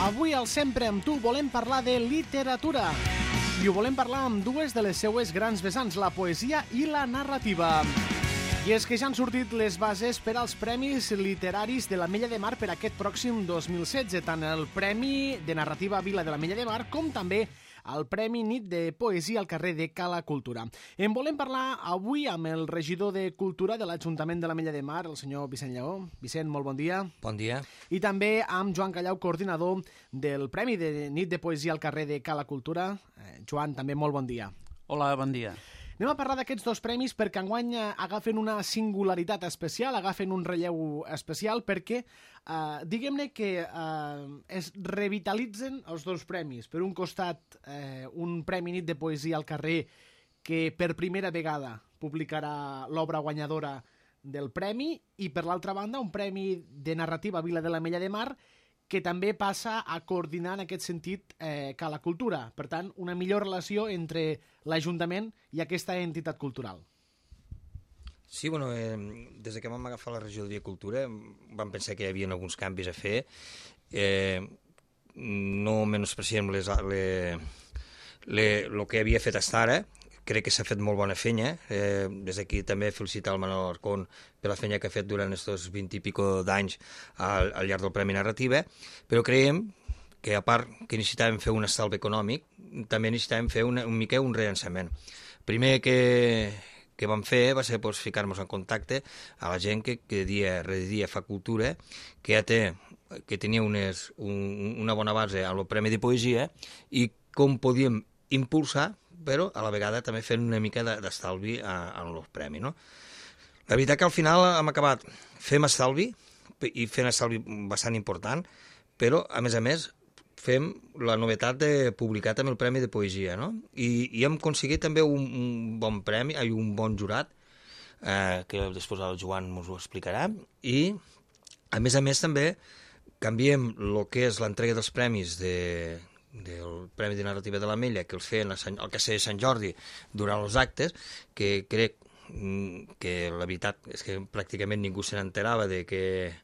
Avui al Sempre amb tu volem parlar de literatura i ho volem parlar amb dues de les seues grans vessants, la poesia i la narrativa. I és que ja han sortit les bases per als Premis Literaris de l'Ametlla de Mar per aquest pròxim 2016, tant el Premi de Narrativa Vila de l'Ametlla de Mar com també el Premi Nit de Poesia al carrer de Cala Cultura. En volem parlar avui amb el regidor de Cultura de l'Ajuntament de l'Ametlla de Mar, el senyor Vicent Lleó. Vicent, molt bon dia. Bon dia. I també amb Joan Callau, coordinador del Premi de Nit de Poesia al carrer de Cala Cultura. Joan, també molt bon dia. Hola, bon dia. Anem a parlar d'aquests dos premis perquè enguany agafen una singularitat especial, agafen un relleu especial perquè diguem-ne que es revitalitzen els dos premis. Per un costat, un Premi Nit de Poesia al carrer que per primera vegada publicarà l'obra guanyadora del premi i per l'altra banda un Premi de Narrativa Vila de l'Ametlla de Mar que també passa a coordinar en aquest sentit Cala Cultura. Per tant, una millor relació entre l'Ajuntament i aquesta entitat cultural. Sí, bueno, des que vam agafar la regidoria de Cultura vam pensar que hi havia alguns canvis a fer. No menospreciem el que havia fet fins ara. Crec que s'ha fet molt bona feina. Des d'aquí també felicitar el Manol Arcón per la feina que ha fet durant aquests 20 i pico d'anys al llarg del Premi Narrativa, però creiem que a part que necessitàvem fer un estalvi econòmic, també necessitàvem fer un mica un rellançament. Primer que vam fer va ser ficar-nos en contacte a la gent que rere dia fa cultura, que tenia una bona base amb el Premi de Poesia i com podíem impulsar però a la vegada també fent una mica d'estalvi en el premi, no? La veritat que al final hem acabat fent estalvi, i fent estalvi bastant important, però, a més, fem la novetat de publicar també el Premi de Poesia, no? I hem aconseguit també un bon premi, un bon jurat, que després el Joan ens ho explicarà, i, a més també, canviem el que és l'entrega dels premis del Premi de Narrativa de l'Ametlla, que els feien al Castell de Sant Jordi durant els actes, que crec que la veritat és que pràcticament ningú se n'enterava de que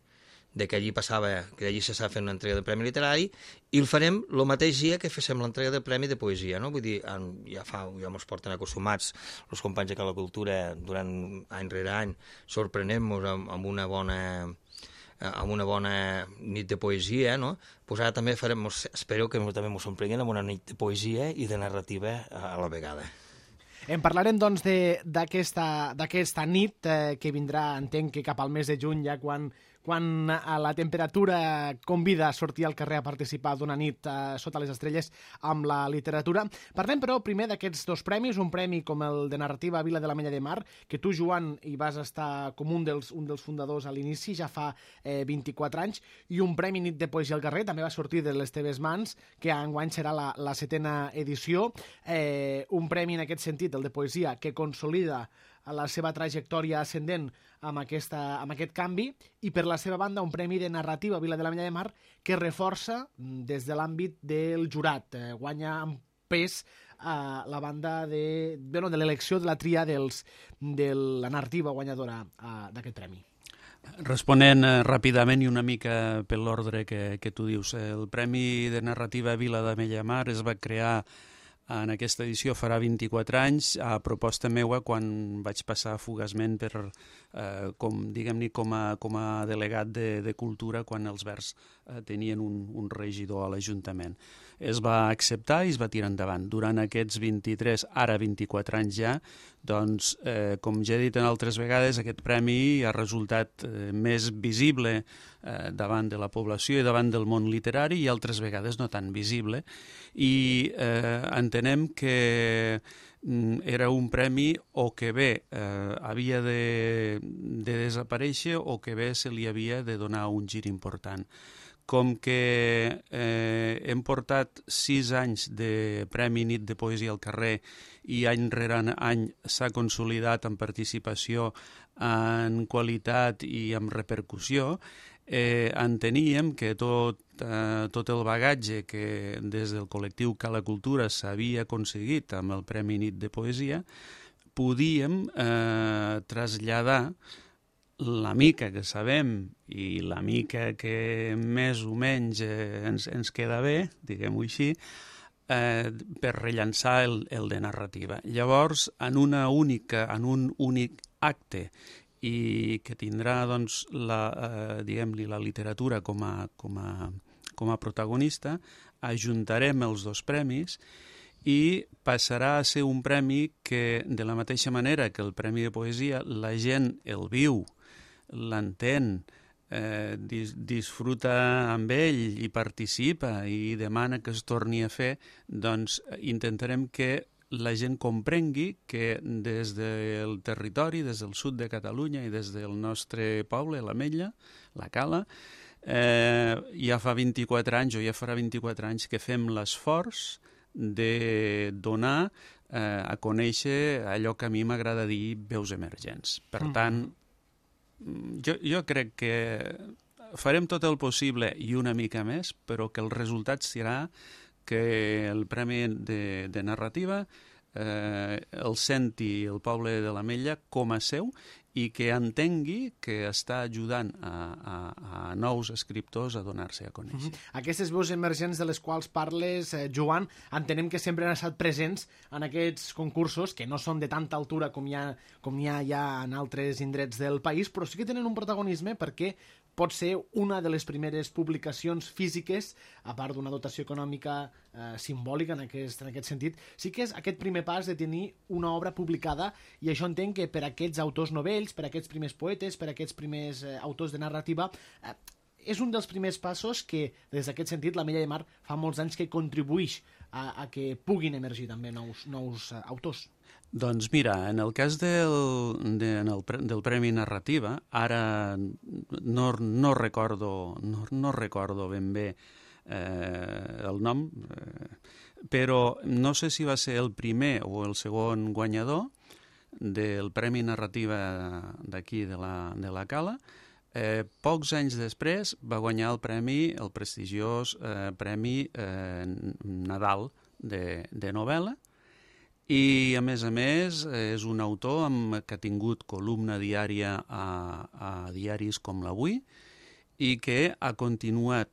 allí passava, que allí s'estava fent una entrega del Premi Literari, i el farem el mateix dia que féssim l'entrega del Premi de Poesia, no? Vull dir, ja ens porten acostumats els companys de Cala Cultura durant any rere any, sorprenem-nos amb una bona nit de poesia, no? Pues ara també espero que també ens sorprenguin amb una nit de poesia i de narrativa a la vegada. En parlarem, doncs, d'aquesta nit que vindrà, entenc que cap al mes de juny, ja quan la temperatura convida a sortir al carrer a participar d'una nit sota les estrelles amb la literatura. Parlem, però, primer d'aquests dos premis, un premi com el de Narrativa Vila de l'Ametlla de Mar, que tu, Joan, hi vas estar com un dels fundadors a l'inici, ja fa 24 anys, i un Premi Nit de Poesia al carrer, també va sortir de les teves mans, que enguany serà la 7ª edició. Un premi, en aquest sentit, el de poesia, que consolida la seva trajectòria ascendent amb aquest canvi, i per la seva banda un Premi de Narrativa Vila de l'Ametlla de Mar que reforça des de l'àmbit del jurat, guanya amb pes la banda de l'elecció de la tria de la narrativa guanyadora d'aquest premi. Responent ràpidament i una mica per l'ordre que tu dius, el Premi de Narrativa Vila de l'Ametlla de Mar es va crear en aquesta edició farà 24 anys, a proposta meua quan vaig passar fugaçment com a delegat de Cultura quan els Verds tenien un regidor a l'Ajuntament. Es va acceptar i es va tirar endavant. Durant aquests 23, ara 24 anys ja, doncs, com ja he dit en altres vegades, aquest premi ha resultat més visible davant de la població i davant del món literari i altres vegades no tan visible. I entenem que era un premi o que bé havia de desaparèixer o que bé se li havia de donar un gir important. Com que hem portat 6 anys de Premi Nit de Poesia al carrer i any rere any s'ha consolidat en participació, en qualitat i en repercussió, enteníem que tot el bagatge que des del col·lectiu Cala Cultura s'havia aconseguit amb el Premi Nit de Poesia podíem traslladar la mica que sabem i la mica que més o menys ens queda bé, diguem-ho així, per rellançar el de narrativa. Llavors, en un únic acte, i que tindrà doncs, diguem-li, la literatura com a protagonista, ajuntarem els dos premis i passarà a ser un premi que, de la mateixa manera que el Premi de Poesia, la gent el viu, l'entén, disfruta amb ell i participa i demana que es torni a fer, doncs intentarem que la gent comprengui que des del territori, des del sud de Catalunya i des del nostre poble, l'Ametlla, la Cala, ja fa 24 anys o ja farà 24 anys que fem l'esforç de donar a conèixer allò que a mi m'agrada dir veus emergents. Per tant, jo crec que farem tot el possible i una mica més, però que el resultat serà que el Premi de Narrativa el senti el poble de l'Ametlla com a seu i que entengui que està ajudant a nous escriptors a donar-se a conèixer. Aquestes veus emergents de les quals parles, Joan, entenem que sempre han estat presents en aquests concursos, que no són de tanta altura com n'hi ha ja en altres indrets del país, però sí que tenen un protagonisme perquè pot ser una de les primeres publicacions físiques, a part d'una dotació econòmica simbòlica en aquest sentit, sí que és aquest primer pas de tenir una obra publicada, i això entenc que per aquests autors novells, per aquests primers poetes, per aquests primers autors de narrativa, és un dels primers passos que, des d'aquest sentit, l'Ametlla de Mar fa molts anys que contribueix a que puguin emergir també nous autors. Doncs mira, en el cas del Premi Narrativa, ara no recordo ben bé el nom, però no sé si va ser el primer o el segon guanyador del Premi Narrativa d'aquí, de la Cala. Pocs anys després va guanyar el prestigiós Premi Nadal de novel·la, i a més és un autor que ha tingut columna diària a diaris com l'Avui i que ha continuat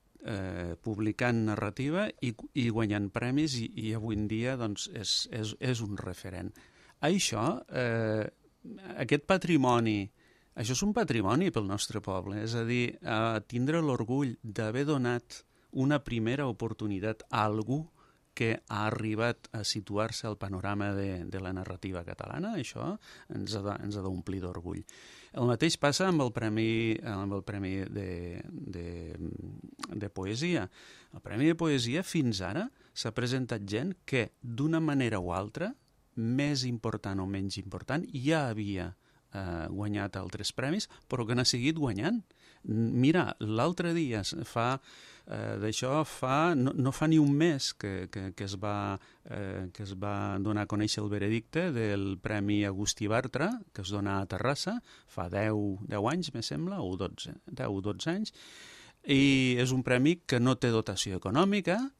publicant narrativa i guanyant premis, i avui en dia doncs, és un referent. Això, aquest patrimoni, això és un patrimoni pel nostre poble, és a dir, tindre l'orgull d'haver donat una primera oportunitat a algú que ha arribat a situar-se al panorama de la narrativa catalana, això ens ha d'omplir d'orgull. El mateix passa amb el Premi de Poesia. El Premi de Poesia fins ara s'ha presentat gent que, d'una manera o altra, més important o menys important, ja havia guanyat altres premis, però que n'ha seguit guanyant. Mira, l'altre dia no fa ni un mes que es va donar a conèixer el veredicte del Premi Agustí Bartra, que es dona a Terrassa, fa 10 anys, me sembla, o 10 o 12 anys, i és un premi que no té dotació econòmica,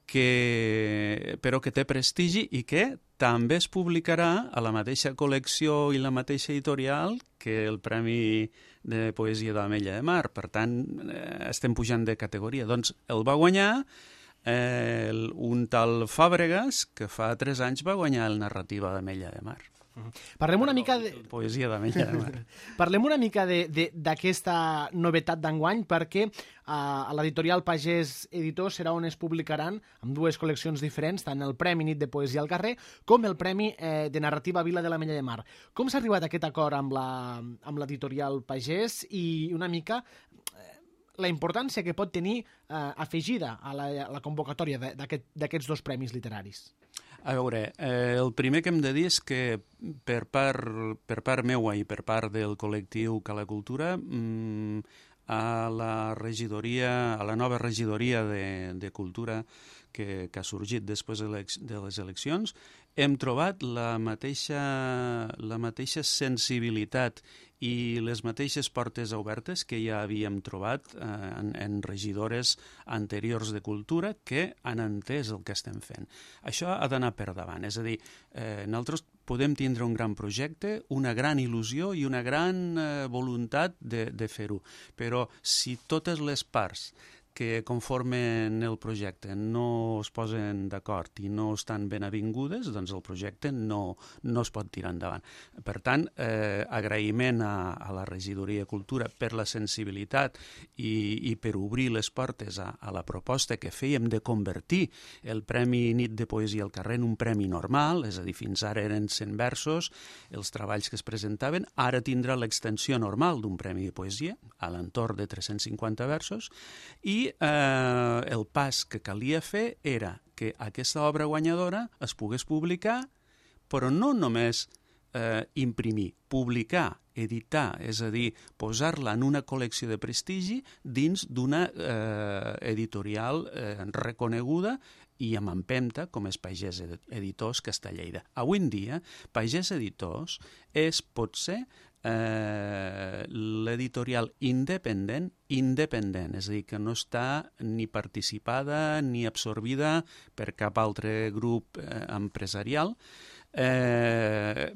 però que té prestigi i que també es publicarà a la mateixa col·lecció i la mateixa editorial que el Premi de Poesia de l'Ametlla de Mar. Per tant, estem pujant de categoria. Doncs el va guanyar un tal Fàbregas, que fa 3 anys va guanyar el Narrativa d'Ametlla de Mar. Parlem una mica de... Poesia d'Ametlla de Mar. Parlem una mica d'aquesta novetat d'enguany, perquè a l'editorial Pagès Editors serà on es publicaran, amb 2 col·leccions diferents, tant el Premi Nit de Poesia al Carrer com el Premi de Narrativa Vila de l'Ametlla de Mar. Com s'ha arribat a aquest acord amb l'editorial Pagès i una mica la importància que pot tenir afegida a la convocatòria d'aquests 2 premis literaris? A veure, el primer que hem de dir és que per part meua i per part del col·lectiu Cala Cultura, a la nova regidoria de Cultura que ha sorgit després de les eleccions, hem trobat la mateixa sensibilitat i les mateixes portes obertes que ja havíem trobat en regidores anteriors de cultura que han entès el que estem fent. Això ha d'anar per davant, és a dir, nosaltres podem tindre un gran projecte, una gran il·lusió i una gran voluntat de fer-ho, però si totes les parts que conformen el projecte no es posen d'acord i no estan ben avingudes, doncs el projecte no es pot tirar endavant. Per tant, agraïment a la Regidoria de Cultura per la sensibilitat i per obrir les portes a la proposta que fèiem de convertir el Premi Nit de Poesia al carrer en un premi normal, és a dir, fins ara eren 100 versos els treballs que es presentaven, ara tindrà l'extensió normal d'un premi de poesia, a l'entorn de 350 versos, i el pas que calia fer era que aquesta obra guanyadora es pogués publicar, però no només imprimir, publicar, editar, és a dir, posar-la en una col·lecció de prestigi dins d'una editorial reconeguda i amb empenta, com és Pagès Editors Castelleira. Avui en dia, Pagès Editors és, potser, l'editorial independent, és a dir, que no està ni participada ni absorbida per cap altre grup empresarial,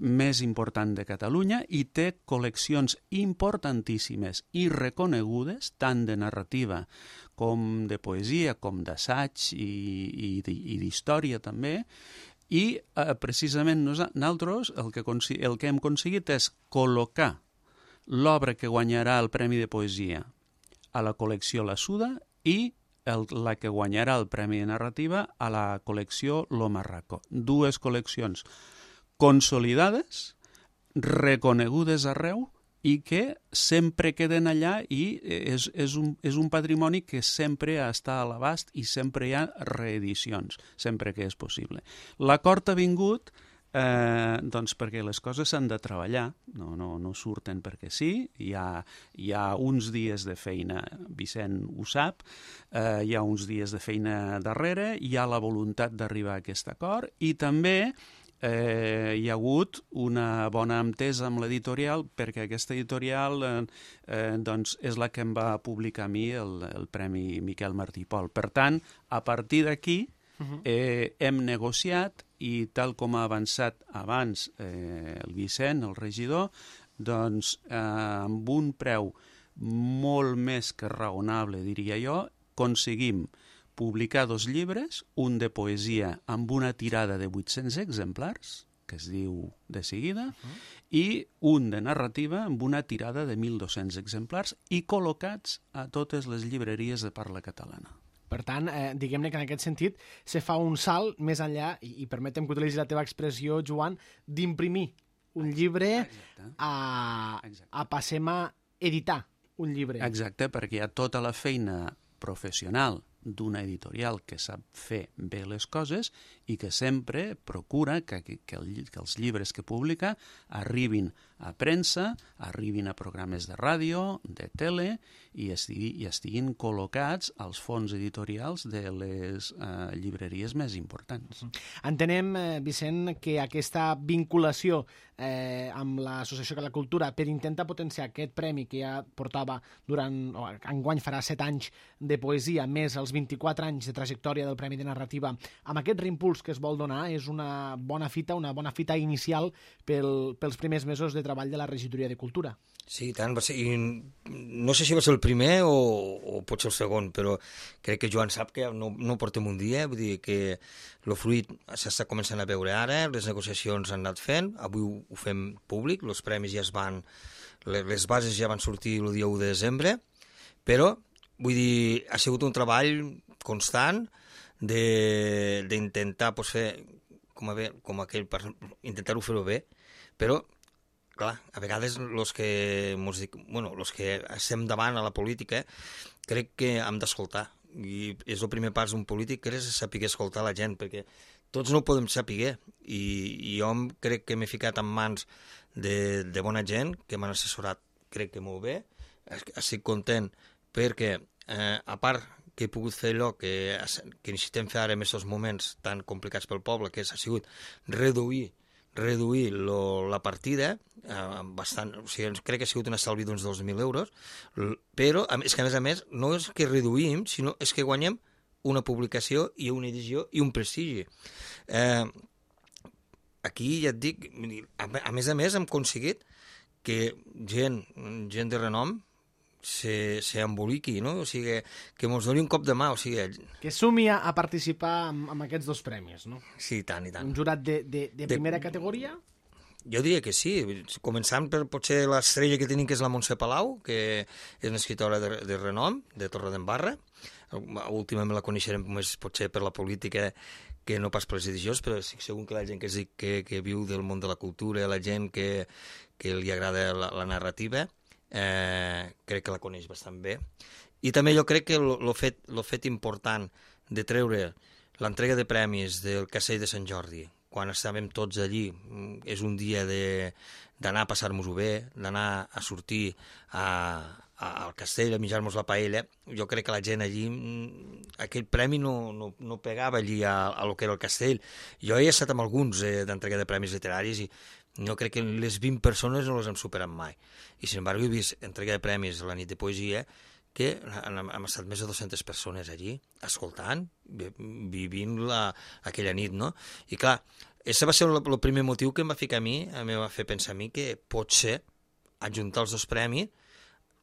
més important de Catalunya i té col·leccions importantíssimes i reconegudes, tant de narrativa com de poesia, com d'assaig i d'història també, i precisament nosaltres el que hem aconseguit és col·locar l'obra que guanyarà el Premi de Poesia a la col·lecció La Suda i la que guanyarà el Premi de Narrativa a la col·lecció Lo Marraco. Dues col·leccions consolidades, reconegudes arreu, i que sempre queden allà i és un patrimoni que sempre està a l'abast i sempre hi ha reedicions, sempre que és possible. L'acord ha vingut doncs perquè les coses s'han de treballar, no surten perquè sí, hi ha uns dies de feina, Vicent ho sap, hi ha uns dies de feina darrere, hi ha la voluntat d'arribar a aquest acord i també hi ha hagut una bona entesa amb l'editorial perquè aquesta editorial doncs és la que em va publicar a mi el Premi Miquel Martí i Pol. Per tant, a partir d'aquí hem negociat i tal com ha avançat abans el Vicent, el regidor, doncs amb un preu molt més que raonable, diria jo, aconseguim publicar 2 llibres, un de poesia amb una tirada de 800 exemplars, que es diu De seguida, i un de narrativa amb una tirada de 1.200 exemplars i col·locats a totes les llibreries de parla catalana. Per tant, diguem-ne que en aquest sentit se fa un salt més enllà, i permetem que utilitzi la teva expressió, Joan, d'imprimir un llibre a passem a editar un llibre. Exacte, perquè hi ha tota la feina professional d'una editorial que sap fer bé les coses i que sempre procura que els llibres que publica arribin a premsa, arribin a programes de ràdio, de tele i estiguin col·locats als fons editorials de les llibreries més importants. Entenem, Vicent, que aquesta vinculació amb l'Associació de la Cultura per intentar potenciar aquest premi que ja portava enguany farà 7 anys de poesia, més els 24 anys de trajectòria del Premi de Narrativa, amb aquest reimpuls que es vol donar, és una bona fita inicial pels primers mesos de treball de la Regidoria de Cultura. Sí, tant, va ser, i no sé si va ser el primer o pot ser el segon, però crec que Joan sap que no portem un dia, vull dir que el fruit s'està començant a veure ara, les negociacions han anat fent, avui ho fem públic, els premis ja les bases ja van sortir el dia 1 de desembre, però, vull dir, ha sigut un treball constant d'intentar fer intentar-ho fer-ho bé, però clar, a vegades els que estem davant a la política crec que hem d'escoltar i és el primer pas d'un polític que és saber escoltar la gent, perquè tots no ho podem saber i jo crec que m'he ficat en mans de bona gent que m'han assessorat, crec que molt bé, estic content perquè a part que he pogut fer allò que necessitem fer ara en aquests moments tan complicats pel poble, que ha sigut reduir la partida, bastant, o sigui, crec que ha sigut un estalvi d'uns 2.000 euros, però és que a més no és que reduïm, sinó és que guanyem una publicació i una edició i un prestigi. Aquí ja et dic, a més hem aconseguit que gent de renom s'emboliqui, no? O sigui, que mos doni un cop de mà, o sigui... Que sumi a participar amb aquests dos premis, no? Sí, tant i tant. Un jurat de primera categoria? Jo diria que sí, començant per potser l'estrella que tenim, que és la Montse Palau, que és una escriptora de renom, de Torredembarra. Últimament la coneixerem més potser per la política que no pas per les edicions, però estic segur que la gent que viu del món de la cultura, la gent que li agrada la narrativa, crec que la coneix bastant bé. I també jo crec que el fet important de treure l'entrega de premis del Castell de Sant Jordi, quan estàvem tots allí, és un dia d'anar a passar-nos-ho bé, d'anar a sortir al castell, a menjar-nos la paella. Jo crec que la gent allí, aquell premi no pegava allí a lo que era el castell. Jo he estat amb alguns d'entrega de premis literaris i jo crec que les 20 persones no les hem superat mai. I, sin embargo, he vist entrega de premis a la nit de poesia que hem estat més de 200 persones allí, escoltant, vivint aquella nit, no? I clar, això va ser el primer motiu que em va ficar a mi, em va fer pensar a mi que potser adjuntar els dos premis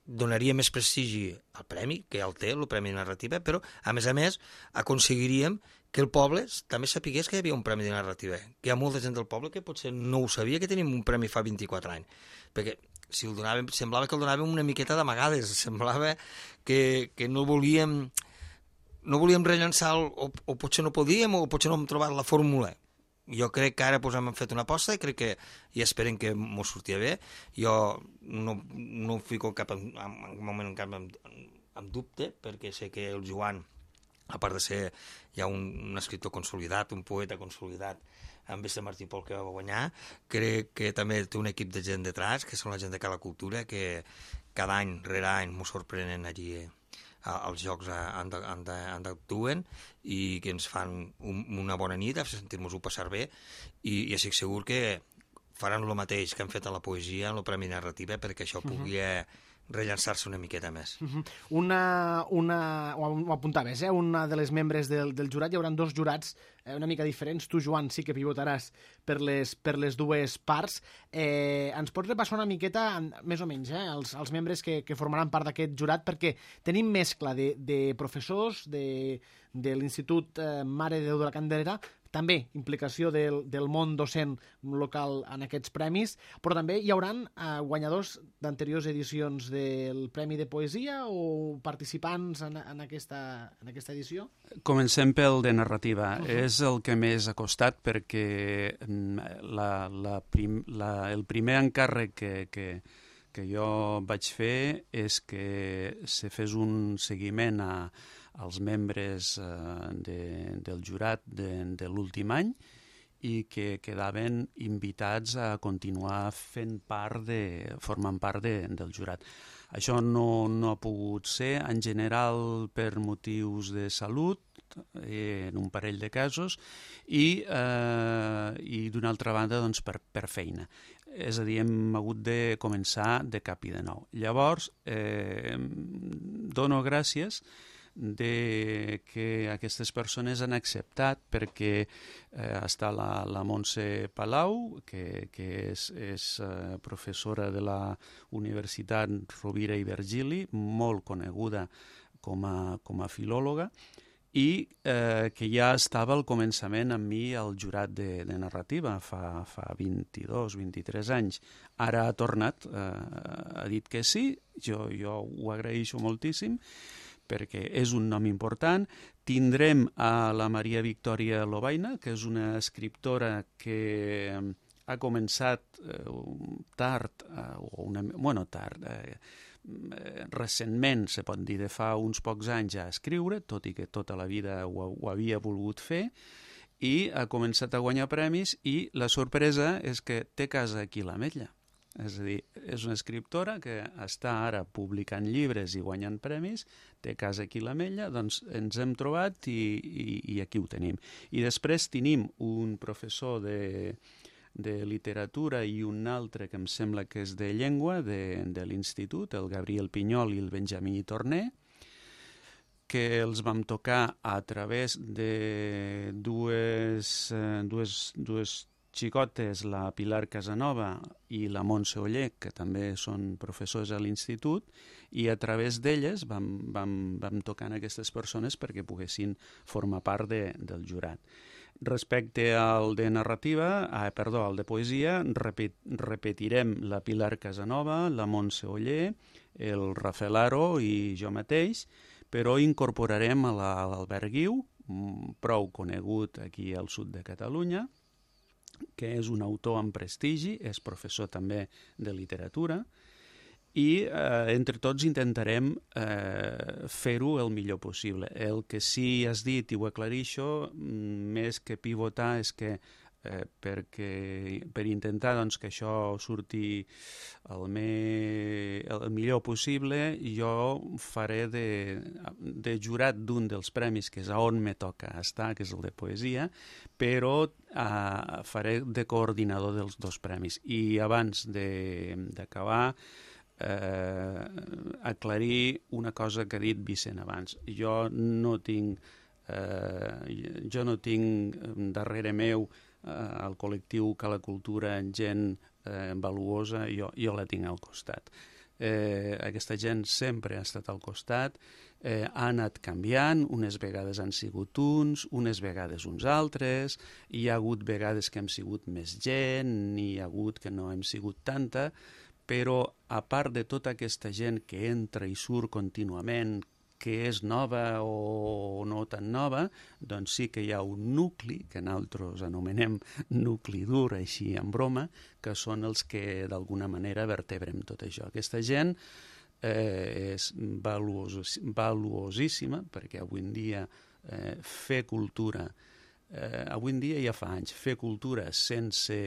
donaria més prestigi al premi, que ja el té, el Premi de Narrativa, però, a més, aconseguiríem que el poble també sapigués que hi havia un premi de narrativa, que hi ha molta gent del poble que potser no ho sabia que tenim un premi fa 24 anys, perquè si el donàvem, semblava que el donàvem una miqueta d'amagades, semblava que no volíem rellençar o potser no podíem o potser no hem trobat la fórmula. Jo crec que ara hem fet una aposta i crec que i esperem que m'ho sortia bé. Jo no fico en moment cap en dubte, perquè sé que el Joan, a part de ser ja un escriptor consolidat, un poeta consolidat, amb Vista Martí Pol, que va guanyar, crec que també té un equip de gent detrás, que són la gent de Cala Cultura, que cada any rere any m'ho sorprenen allí als jocs on actuen i que ens fan una bona nit, a sentir-nos-ho passar bé, i estic segur que faran el mateix que han fet a la poesia, en el Premi Narrativa, perquè això pugui rellançar-se una miqueta més. Ho apuntaves, una de les membres del jurat, hi haurà dos jurats una mica diferents. Tu, Joan, sí que pivotaràs per les dues parts. Ens pots repassar una miqueta, més o menys, els membres que formaran part d'aquest jurat, perquè tenim mescla de professors de l'Institut Mare de Déu de la Candelera, també implicació del món docent local en aquests premis, però també hi hauran guanyadors d'anteriors edicions del Premi de Poesia o participants en aquesta edició? Comencem pel de narrativa. És el que més ha costat perquè el primer encàrrec que jo vaig fer és que se fes un seguiment als membres del jurat de l'últim any i que quedaven invitats a continuar formant part del jurat. Això no ha pogut ser, en general, per motius de salut, en un parell de casos, i d'una altra banda, doncs, per feina. És a dir, hem hagut de començar de cap i de nou. Llavors, dono gràcies de que aquestes persones han acceptat, perquè està la Montse Palau, que és professora de la Universitat Rovira i Virgili, molt coneguda com a filòloga, i que ja estava al començament amb mi al jurat de narrativa fa 22-23 anys. Ara ha tornat, ha dit que sí, jo ho agraeixo moltíssim, perquè és un nom important. Tindrem a la Maria Victòria Lobaina, que és una escriptora que ha començat recentment, se pot dir, de fa uns pocs anys a escriure, tot i que tota la vida ho havia volgut fer, i ha començat a guanyar premis, i la sorpresa és que té casa aquí a l'Ametlla. És a dir, és una escriptora que està ara publicant llibres i guanyant premis, té casa aquí a l'Ametlla, doncs ens hem trobat i aquí ho tenim. I després tenim un professor de literatura i un altre que em sembla que és de llengua de l'institut, el Gabriel Pinyol i el Benjamí Torner, que els vam tocar a través de dues xicotes, la Pilar Casanova i la Montse Oller, que també són professors a l'institut, i a través d'elles vam tocar a aquestes persones perquè poguessin formar part del jurat. Respecte al de narrativa, al de poesia, repetirem la Pilar Casanova, la Montse Oller, el Rafael Aro i jo mateix, però incorporarem a l'Albert Guiu, prou conegut aquí al sud de Catalunya, que és un autor amb prestigi, és professor també de literatura, i entre tots intentarem fer-ho el millor possible. El que sí has dit, i ho aclarixo, més que pivotar, és que per intentar doncs, que això surti el millor possible, jo faré de jurat d'un dels premis, que és on me toca estar, que és el de poesia, però faré de coordinador dels dos premis. I abans d'acabar, aclarir una cosa que ha dit Vicent abans. Jo no tinc darrere meu al col·lectiu que la cultura gent valuosa, jo la tinc al costat. Aquesta gent sempre ha estat al costat, ha anat canviant, unes vegades han sigut unes vegades uns altres, hi ha hagut vegades que hem sigut més gent, n'hi ha hagut que no hem sigut tanta, però a part de tota aquesta gent que entra i surt contínuament, que és nova o no tan nova, doncs sí que hi ha un nucli, que nosaltres anomenem nucli dur, així en broma, que són els que d'alguna manera vertebrem tot això. Aquesta gent és valuosíssima, perquè avui en dia fer cultura, avui en dia ja fa anys, fer cultura sense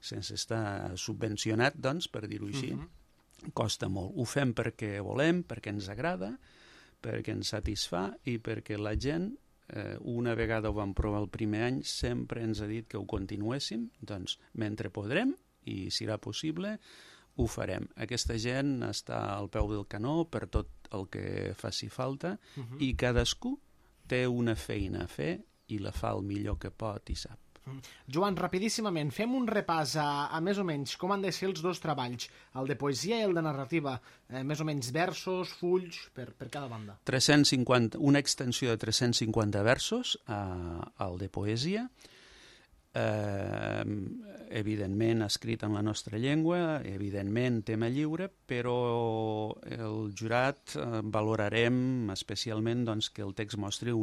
estar subvencionat, doncs, per dir-ho així, costa molt. Ho fem perquè volem, perquè ens agrada, perquè ens satisfà i perquè la gent, una vegada ho vam provar el primer any, sempre ens ha dit que ho continuéssim, doncs mentre podrem i serà possible, ho farem. Aquesta gent està al peu del canó per tot el que faci falta i cadascú té una feina a fer i la fa el millor que pot i sap. Joan, rapidíssimament, fem un repàs a més o menys com han de ser els dos treballs, el de poesia i el de narrativa, més o menys versos, fulls, per cada banda. 350, una extensió de 350 versos al de poesia, evidentment escrit en la nostra llengua, evidentment tema lliure, però el jurat valorarem especialment doncs, que el text mostri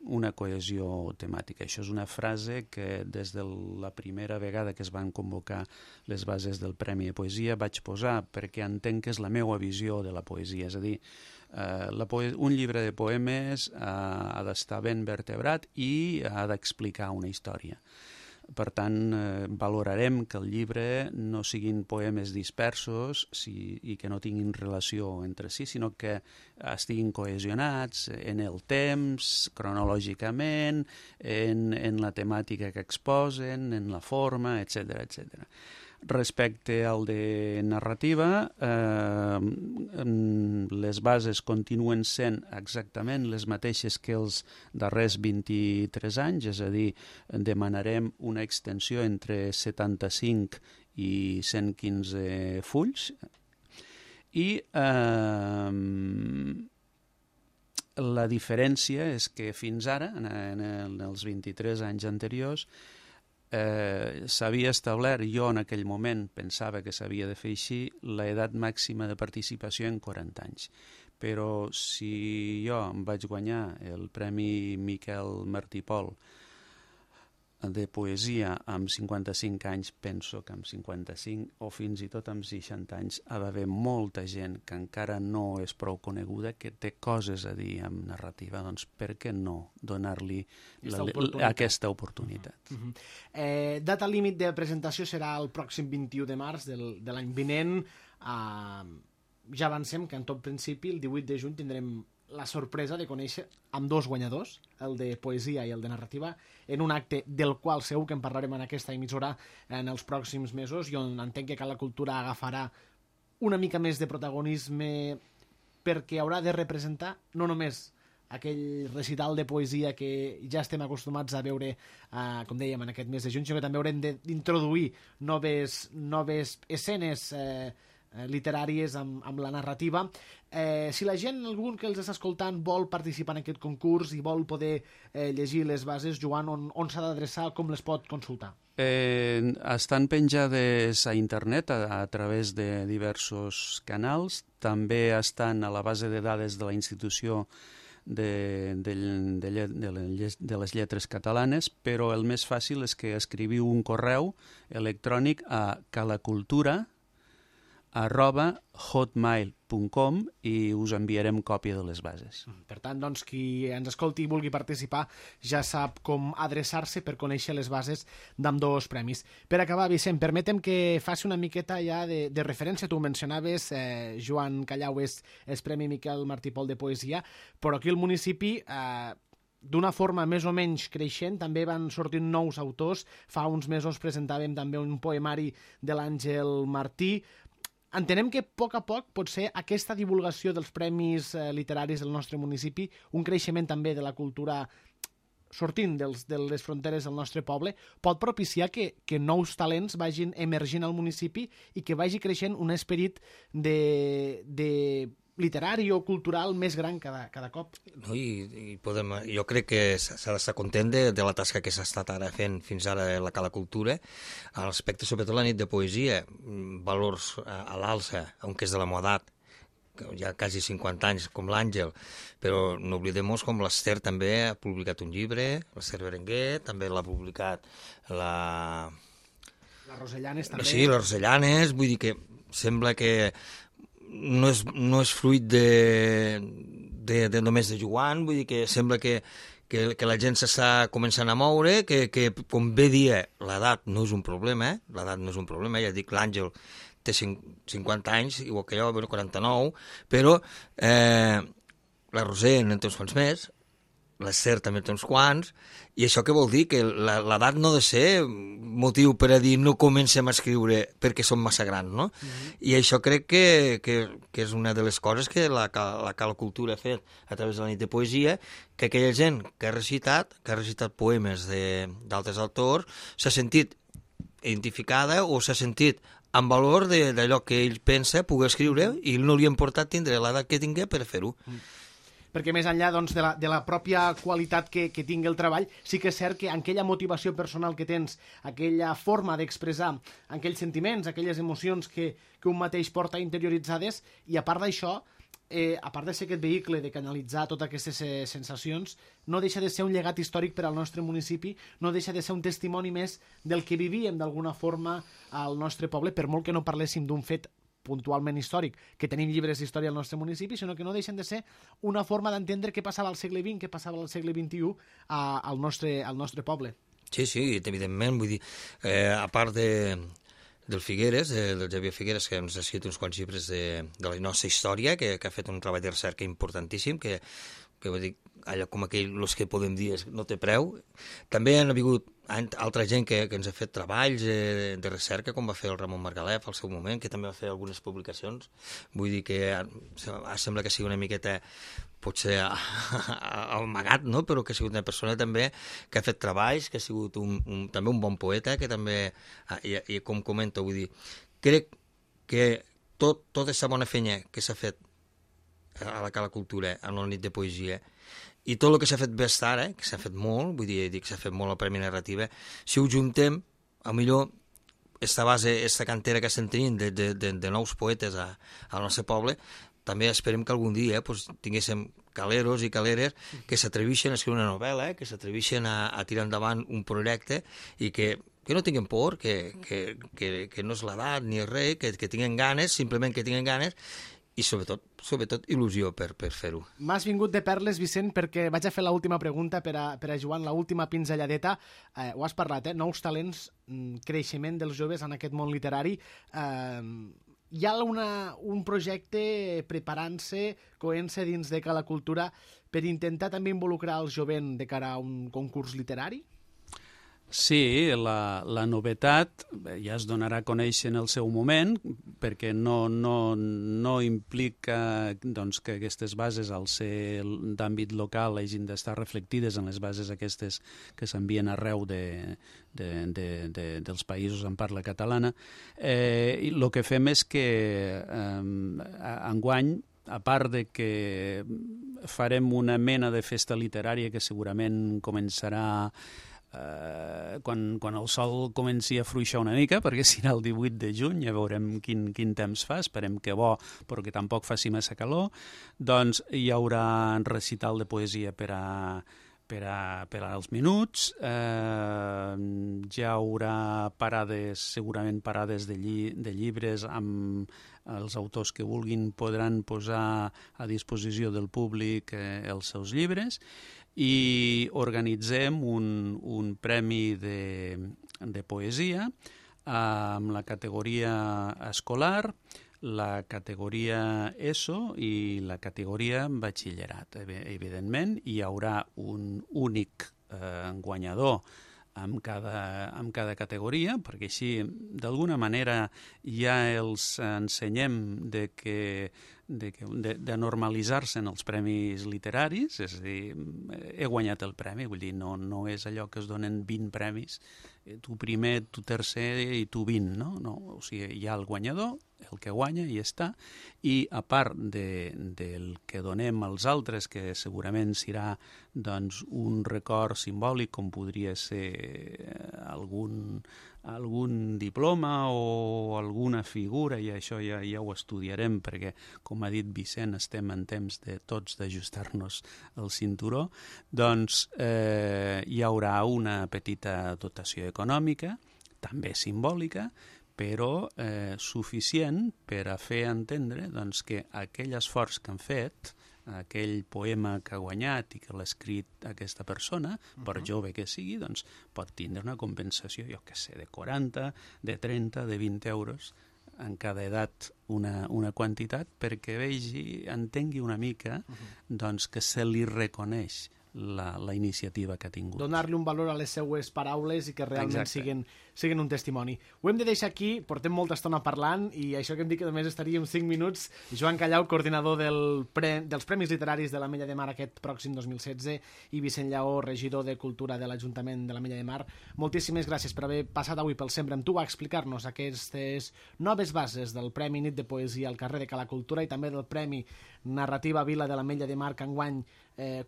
una cohesió temàtica. Això és una frase que des de la primera vegada que es van convocar les bases del Premi de Poesia vaig posar perquè entenc que és la meva visió de la poesia. És a dir, un llibre de poemes ha d'estar ben vertebrat i ha d'explicar una història. Per tant, valorarem que el llibre no siguin poemes dispersos i que no tinguin relació entre si, sinó que estiguin cohesionats en el temps, cronològicament, en la temàtica que exposen, en la forma, etc. etc. Respecte al de narrativa, les bases continuen sent exactament les mateixes que els darrers 23 anys, és a dir, demanarem una extensió entre 75 i 115 fulls, i la diferència és que fins ara, en els 23 anys anteriors, s'havia establert, jo en aquell moment pensava que s'havia de fer així, l'edat màxima de participació en 40 anys. Però si jo em vaig guanyar el Premi Miquel Martí Pol de poesia amb 55 anys, penso que amb 55 o fins i tot amb 60 anys ha d'haver molta gent que encara no és prou coneguda, que té coses a dir amb narrativa, doncs per què no donar-li aquesta oportunitat? Data límit de presentació serà el pròxim 21 de març de l'any vinent. Ja avancem que en tot principi el 18 de juny tindrem la sorpresa de conèixer amb dos guanyadors, el de poesia i el de narrativa, en un acte del qual segur que en parlarem en aquesta emissora en els pròxims mesos, i on entenc que Cala Cultura agafarà una mica més de protagonisme perquè haurà de representar no només aquell recital de poesia que ja estem acostumats a veure, com dèiem, en aquest mes de juny, sinó que també haurem d'introduir noves escenes literàries amb la narrativa. Si la gent, algun que els està escoltant, vol participar en aquest concurs i vol poder llegir les bases, Joan, on s'ha d'adreçar, com les pot consultar? Estan penjades a internet a través de diversos canals, també estan a la base de dades de la institució de les lletres catalanes, però el més fàcil és que escriviu un correu electrònic a calacultura@hotmail.com i us enviarem còpia de les bases. Per tant, doncs, qui ens escolti i vulgui participar ja sap com adreçar-se per conèixer les bases d'ambdós premis. Per acabar, Vicent, permetem que faci una miqueta ja de referència. Tu ho mencionaves, Joan Callau és Premi Miquel Martí Pol de Poesia, però aquí al municipi d'una forma més o menys creixent també van sortint nous autors. Fa uns mesos presentàvem també un poemari de l'Àngel Martí. Entenem que a poc potser aquesta divulgació dels premis literaris del nostre municipi, un creixement també de la cultura sortint de les fronteres del nostre poble, pot propiciar que nous talents vagin emergint al municipi i que vagi creixent un esperit de literari o cultural més gran cada cop. No, jo crec que s'ha d'estar content de la tasca que s'ha estat ara fent fins ara a la Cala Cultura, a l'aspecte sobretot la nit de poesia, valors a l'alça, aunque és de la meva edat, ja quasi 50 anys, com l'Àngel, però no oblidem com l'Ester també ha publicat un llibre, l'Ester Berenguer, també l'ha publicat la Rosellanes també. Sí, la Rosellanes, vull dir que sembla que no és fruit de només de Joan, vull dir que sembla que la gent s'està començant a moure, que com bé dia, l'edat no és un problema, ja dic, l'Àngel té 50 anys, igual que jo, 49, però la Roser en té uns quants més, l'Ester també té uns quants, i això què vol dir? Que l'edat no ha de ser motiu per a dir no comencem a escriure perquè som massa grans, no? I això crec que és una de les coses que la Cala Cultura ha fet a través de la nit de poesia, que aquella gent que ha recitat poemes d'altres autors, s'ha sentit identificada o s'ha sentit amb valor d'allò que ell pensa poder escriure i no li ha importat tindre l'edat que tingui per fer-ho. Perquè més enllà de la pròpia qualitat que tingui el treball, sí que és cert que aquella motivació personal que tens, aquella forma d'expressar aquells sentiments, aquelles emocions que un mateix porta interioritzades, i a part d'això, a part de ser aquest vehicle de canalitzar totes aquestes sensacions, no deixa de ser un llegat històric per al nostre municipi, no deixa de ser un testimoni més del que vivíem d'alguna forma al nostre poble, per molt que no parléssim d'un fet puntualment històric, que tenim llibres d'història al nostre municipi, sinó que no deixen de ser una forma d'entendre què passava al segle XX, què passava al segle XXI al nostre poble. Sí, evidentment, vull dir, a part del Figueres, del Xavier Figueres, que ens ha escrit uns quants llibres de la nostra història, que ha fet un treball de recerca importantíssim, que vull dir, allò com aquell, els que podem dir no té preu. També han hagut altra gent que ens ha fet treballs de recerca, com va fer el Ramon Margalef al seu moment, que també va fer algunes publicacions. Vull dir que sembla que sigui una miqueta, potser amagat, no? Però que ha sigut una persona també que ha fet treballs, que ha sigut també un bon poeta, que també, i com comento, vull dir, crec que tota aquesta bona feina que s'ha fet a la Cala Cultura, en la nit de poesia, i tot el que s'ha fet bé fins ara, que s'ha fet molt, vull dir que s'ha fet molt la Premi Narrativa, si ho juntem, a millor esta base, esta cantera que estem tenint de nous poetes al nostre poble, també esperem que algun dia tinguéssim caleros i caleres que s'atreveixen a escriure una novel·la, que s'atreveixen a tirar endavant un projecte i que no tinguin por, que no és l'edat ni res, que tinguin ganes, simplement que tinguin ganes, i sobretot il·lusió per fer-ho. M'has vingut de perles, Vicent, perquè vaig a fer l'última pregunta per a Joan, l'última pinzelladeta. Ho has parlat, nous talents, creixement dels joves en aquest món literari. Hi ha un projecte preparant-se, coent-se dins de Cala Cultura per intentar també involucrar el jovent de cara a un concurs literari? Sí, la novetat ja es donarà a conèixer en el seu moment, perquè no implica doncs, que aquestes bases, al ser d'àmbit local, hagin d'estar reflectides en les bases aquestes que s'envien arreu dels països en parla catalana. I el que fem és que enguany, a part de que farem una mena de festa literària que segurament començarà quan el sol comenci a fluixar una mica, perquè serà el 18 de juny, ja veurem quin temps fa, esperem que bo, però que tampoc faci massa calor, doncs hi haurà recital de poesia per als minuts, hi haurà segurament parades de llibres amb els autors que vulguin podran posar a disposició del públic els seus llibres, i organitzem un premi de poesia amb la categoria escolar, la categoria ESO i la categoria batxillerat. Evidentment, hi haurà un únic guanyador amb cada categoria, perquè així, d'alguna manera, ja els ensenyem de normalitzar-se en els premis literaris, és a dir, he guanyat el premi, vull dir, no és allò que es donen 20 premis, tu primer, tu tercer i tu 20, no? O sigui, hi ha el guanyador, el que guanya i està, i a part del que donem als altres, que segurament serà doncs, un record simbòlic, com podria ser algun diploma o alguna figura, i això ja ho estudiarem, perquè, com ha dit Vicent, estem en temps de tots d'ajustar-nos el cinturó, doncs hi haurà una petita dotació econòmica, també simbòlica, però suficient per a fer entendre doncs, que aquell esforç que han fet, aquell poema que ha guanyat i que l'ha escrit aquesta persona, per jove que sigui, doncs pot tindre una compensació, jo què sé, de 40, de 30, de 20 euros, en cada edat una quantitat, perquè entengui una mica doncs, que se li reconeix la iniciativa que ha tingut. Donar-li un valor a les seues paraules i que realment siguin un testimoni. Ho hem de deixar aquí, portem molta estona parlant i això que hem dit que només estaríem 5 minuts. Joan Callau, coordinador dels Premis Literaris de l'Ametlla de Mar aquest pròxim 2016 i Vicent Lleó, regidor de Cultura de l'Ajuntament de l'Ametlla de Mar. Moltíssimes gràcies per haver passat avui pel Sempre amb tu a explicar-nos aquestes noves bases del Premi Nit de Poesia al carrer de Cala Cultura i també del Premi Narrativa Vila de l'Ametlla de Mar que enguany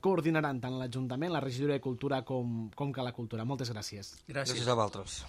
coordinaran tant l'Ajuntament, la regidoria de Cultura com Cala Cultura. Moltes gràcies. Gràcies a vosaltres.